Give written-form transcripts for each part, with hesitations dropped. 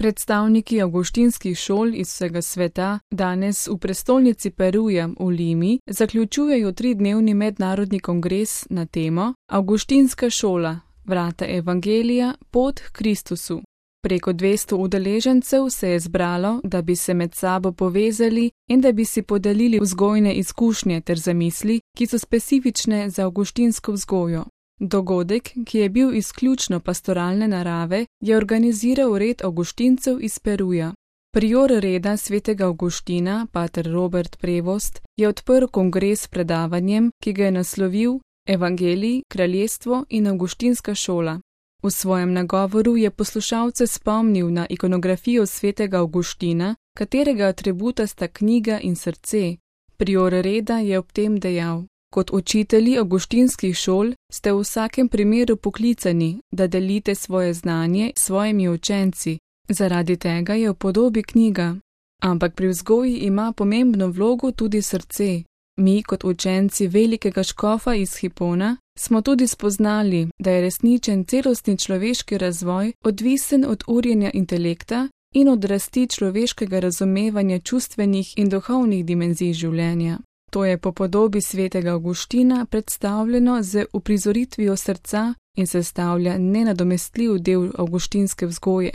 Predstavniki avguštinskih šol iz vsega sveta danes v prestolnici Peruja v Limi zaključujejo 3-dnevni mednarodni kongres na temo Avguštinska šola, vrata evangelija, pot k Kristusu. Preko 200 udeležencev se je zbralo, da bi se med sabo povezali in da bi si podelili vzgojne izkušnje ter zamisli, ki so specifične za avguštinsko vzgojo. Dogodek, ki je bil izključno pastoralne narave, je organiziral red avguštincev iz Peruja. Prior reda svetega Avguština, pater Robert Prevost, je odprl kongres s predavanjem, ki ga je naslovil Evangelij, kraljestvo in avguštinska šola. V svojem nagovoru je poslušalce spomnil na ikonografijo svetega Avguština, katerega atributa sta knjiga in srce. Prior reda je ob tem dejal: Kot učitelji avguštinskih šol ste v vsakem primeru poklicani, da delite svoje znanje s svojimi učenci. Zaradi tega je v podobi knjiga. Ampak pri vzgoji ima pomembno vlogo tudi srce. Mi, kot učenci velikega škofa iz Hipona, smo tudi spoznali, da je resničen celostni človeški razvoj odvisen od urjenja intelekta in od rasti človeškega razumevanja čustvenih in duhovnih dimenzij življenja. To je po podobi svetega Avguština predstavljeno z uprizoritvijo srca in sestavlja nenadomestljiv del avguštinske vzgoje.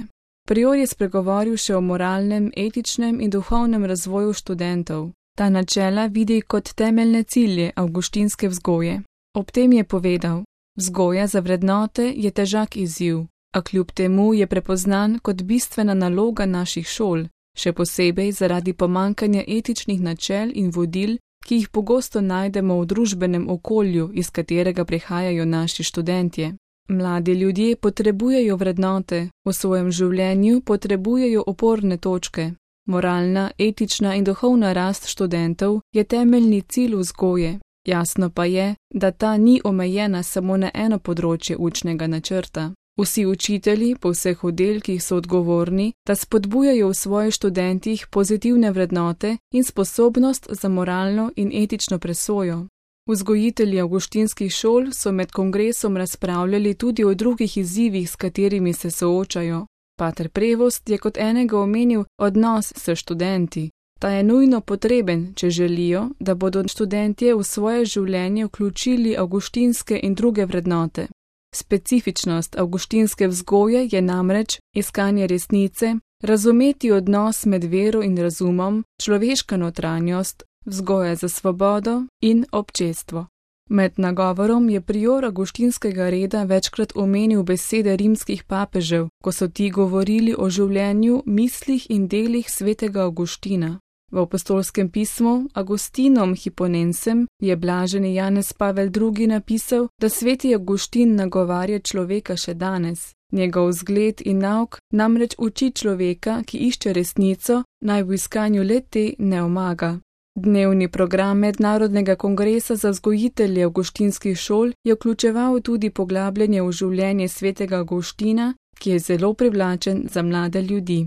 Prior je spregovoril še o moralnem, etičnem in duhovnem razvoju študentov. Ta načela vidi kot temeljne cilje avguštinske vzgoje. Ob tem je povedal: Vzgoja za vrednote je težak izziv, a kljub temu je prepoznan kot bistvena naloga naših šol, še posebej zaradi pomanjkanja etičnih načel in vodil, ki jih pogosto najdemo v družbenem okolju, iz katerega prihajajo naši študentje. Mladi ljudje potrebujejo vrednote, v svojem življenju potrebujejo oporne točke. Moralna, etična in duhovna rast študentov je temeljni cilj vzgoje. Jasno pa je, da ta ni omejena samo na eno področje učnega načrta. Vsi učitelji po vseh oddelkih so odgovorni, da spodbujajo v svojih študentih pozitivne vrednote in sposobnost za moralno in etično presojo. Vzgojitelji avguštinskih šol so med kongresom razpravljali tudi o drugih izzivih, s katerimi se soočajo. Pater Prevost je kot enega omenil odnos s študenti. Ta je nujno potreben, če želijo, da bodo študentje v svoje življenje vključili avguštinske in druge vrednote. Specifičnost avguštinske vzgoje je namreč iskanje resnice, razumeti odnos med vero in razumom, človeška notranjost, vzgoja za svobodo in občestvo. Med nagovorom je prior avguštinskega reda večkrat omenil besede rimskih papežev, ko so ti govorili o življenju, mislih in delih svetega Avguština. V apostolskem pismu Augustinom Hiponensem je blaženi Janez Pavel II. Napisal, da sveti Avguštin nagovarja človeka še danes. Njegov vzgled in nauk namreč uči človeka, ki išče resnico, naj v iskanju le-te ne omaga. Dnevni program Mednarodnega kongresa za vzgojitelje avguštinskih šol je vključeval tudi poglabljanje v življenje svetega Avguština, ki je zelo privlačen za mlade ljudi.